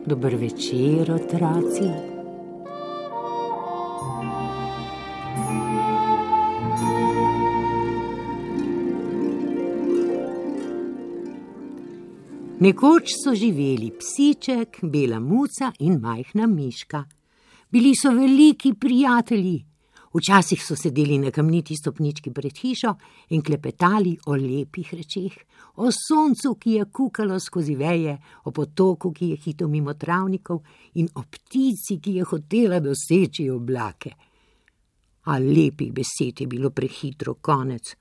Dober večer, otroci. Nekoč so živeli psiček, bela muca in majhna miška. Bili so veliki prijatelji. Včasih so sedeli na kamniti stopnički pred hišo in klepetali o lepih rečeh, o soncu, ki je kukalo skozi veje, o potoku, ki je hitel mimo travnikov in o ptici, ki je hotela doseči oblake. A lepih besed je bilo prehitro konec.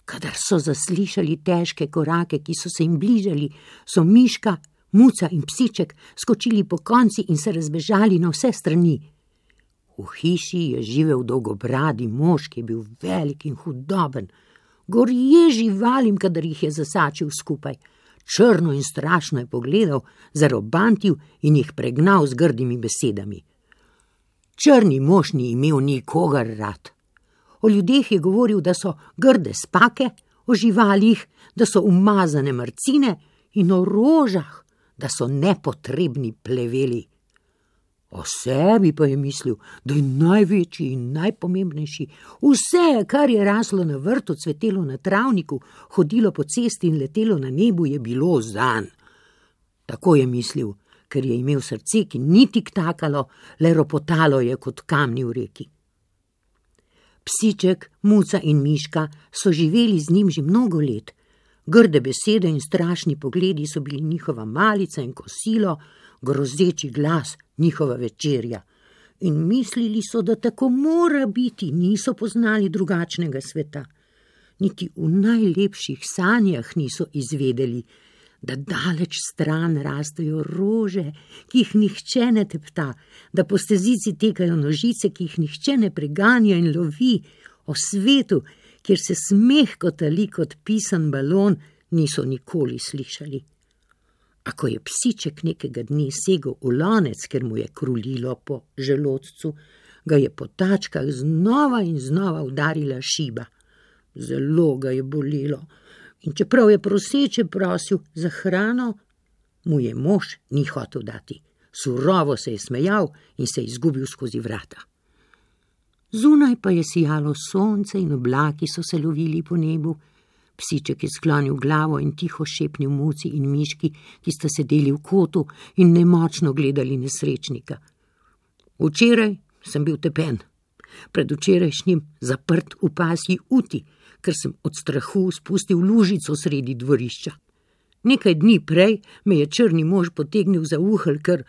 Kadar so zaslišali težke korake, ki so se jim bližali, so miška, muca in psiček skočili po konci in se razbežali na vse strani. V hiši je živel dolgobradi mož, ki je bil velik in hudoben. Gorje živalim, kadar jih je zasačil skupaj. Črno in strašno je pogledal, zarobantil in jih pregnal z grdimi besedami. Črni mož ni imel nikogar rad. O ljudeh je govoril, da so grde spake, o živalih, da so umazane mrcine in o rožah, da so nepotrebni pleveli. O sebi pa je mislil, da je največji in najpomembnejši. Vse, kar je raslo na vrtu, cvetelo na travniku, hodilo po cesti in letelo na nebu, je bilo zanj. Tako je mislil, ker je imel srce, ki ni tiktakalo, le ropotalo je kot kamni v reki. Psiček, muca in miška so živeli z njim že mnogo let. Grde besede in strašni pogledi so bili njihova malica in kosilo, grozeči glas njihova večerja. In mislili so, da tako mora biti, niso poznali drugačnega sveta. Niti v najlepših sanjah niso izvedeli, da daleč stran rastejo rože, ki jih nihče ne tepta, da po stezici tekajo nožice, ki jih nihče ne preganja in lovi, o svetu, kjer se smeh kotali kot pisan balon, niso nikoli slišali. A ko je psiček nekega dne segel v lonec, ker mu je krulilo po želodcu, ga je po tačkah znova in znova udarila šiba. Zelo ga je bolelo in čeprav je proseče prosil za hrano, mu je mož ni hotel dati. Surovo se je smejal in se izgubil skozi vrata. Zunaj pa je sijalo sonce in oblaki so se lovili po nebu. Psiček je sklonil glavo in tiho šepnil muci in miški, ki sta sedeli v kotu in nemočno gledali nesrečnika. Včeraj sem bil tepen, predvčerajšnjim zaprt v pasji uti, ker sem od strahu spustil lužico sredi dvorišča. Nekaj dni prej me je črni mož potegnil za uhelj, ker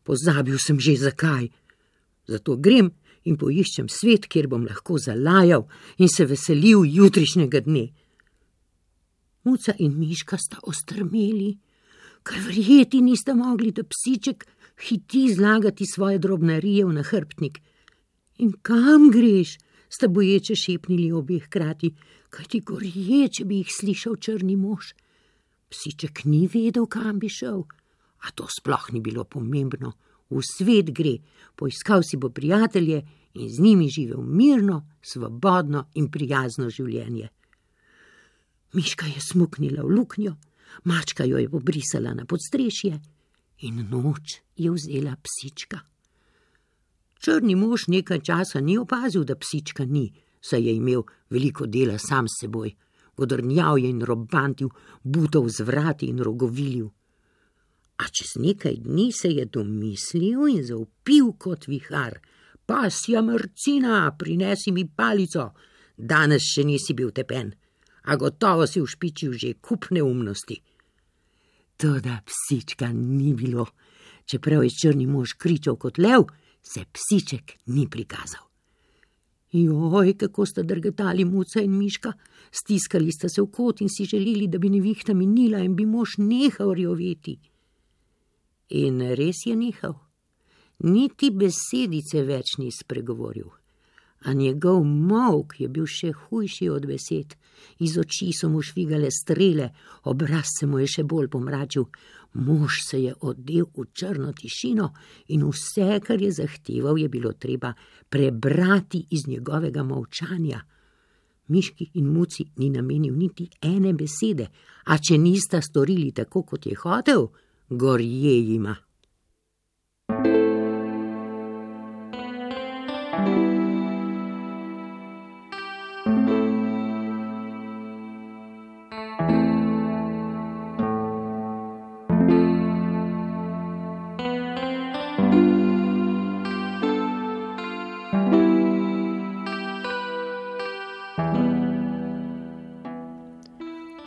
pozabil sem že zakaj. Zato grem in poiščem svet, kjer bom lahko zalajal in se veselil jutrišnjega dne. Muca in miška sta ostrmeli, ker verjeti nista mogli, da psiček hiti zlagati svoje drobnarije v nahrbtnik. In kam greš, sta boječe šepnili obe hkrati, kajti gorje, če bi jih slišal črni mož. Psiček ni vedel, kam bi šel, a to sploh ni bilo pomembno. V svet gre, poiskal si bo prijatelje in z njimi živel mirno, svobodno in prijazno življenje. Miška je smuknila v luknjo, mačka jo je pobrisala na podstrešje in noč je vzela psička. Črni mož nekaj časa ni opazil, da psička ni, saj je imel veliko dela sam s seboj. Godrnjal je in robantil, butal z vrati in rogovilil. A čez nekaj dni se je domislil in zavpil kot vihar. Pasja mrcina, prinesi mi palico. Danes še nisi bil tepen, a gotovo si ušpičil že kup neumnosti. Toda psička ni bilo. Čeprav je črni mož kričal kot lev, se psiček ni prikazal. Joj, kako sta drgetali muca in miška. Stiskali sta se v kot in si želeli, da bi nevihta minila in bi mož nehal rjoveti. In res je nehal. Niti besedice več ni spregovoril. A njegov molk je bil še hujši od besed. Iz oči so mu švigale strele, obraz se mu je še bolj pomračil. Mož se je odel v črno tišino in vse, kar je zahteval, je bilo treba prebrati iz njegovega molčanja. Miški in Muci ni namenil niti ene besede, a če nista storili tako, kot je hotel, gorje jima.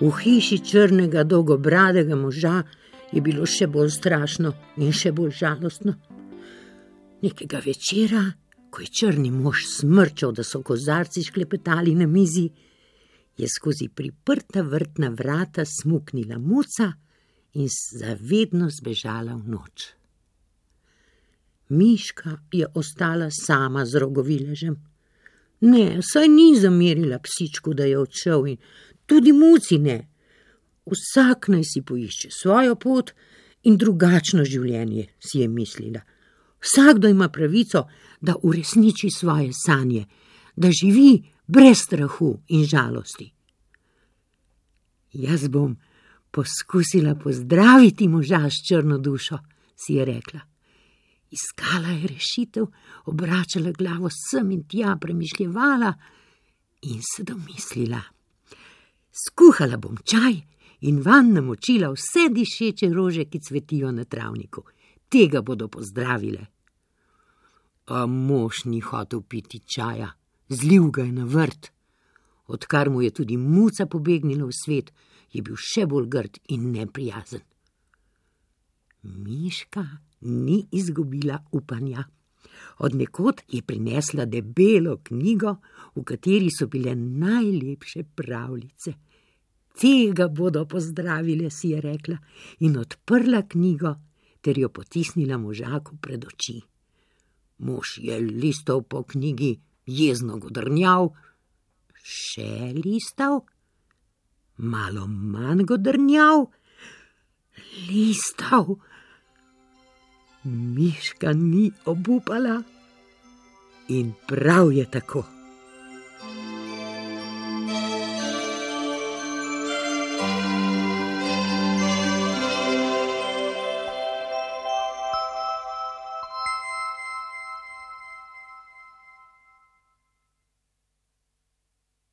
V hiši črnega dolgobradega moža je bilo še bolj strašno in še bolj žalostno. Nekega večera, ko je črni mož smrčal, da so kozarci šklepetali na mizi, je skozi priprta vrtna vrata smuknila Muca in zavedno zbežala v noč. Miška je ostala sama z rogoviležem. Ne, saj ni zamerila psičku, da je odšel, in tudi Muci ne. Vsak naj si poišče svojo pot in drugačno življenje, si je mislila. Vsakdo ima pravico, da uresniči svoje sanje, da živi brez strahu in žalosti. Jaz bom poskusila pozdraviti moža s črno dušo, si je rekla. Iskala je rešitev, obračala glavo sem in tja, premišljevala in se domislila. Skuhala bom čaj in vanj namočila vse dišeče rože, ki cvetijo na travniku. Tega bodo pozdravile. A mož ni hotel piti čaja, zlil ga je na vrt. Odkar mu je tudi Muca pobegnila v svet, je bil še bolj grd in neprijazen. Miška ni izgubila upanja. Od nekod je prinesla debelo knjigo, v kateri so bile najlepše pravljice. Tega bodo pozdravile, si je rekla, in odprla knjigo ter jo potisnila možaku pred oči. Mož je listal po knjigi, jezno godrnjal, še listal, malo manj godrnjal, listal. Miška ni obupala in prav je tako.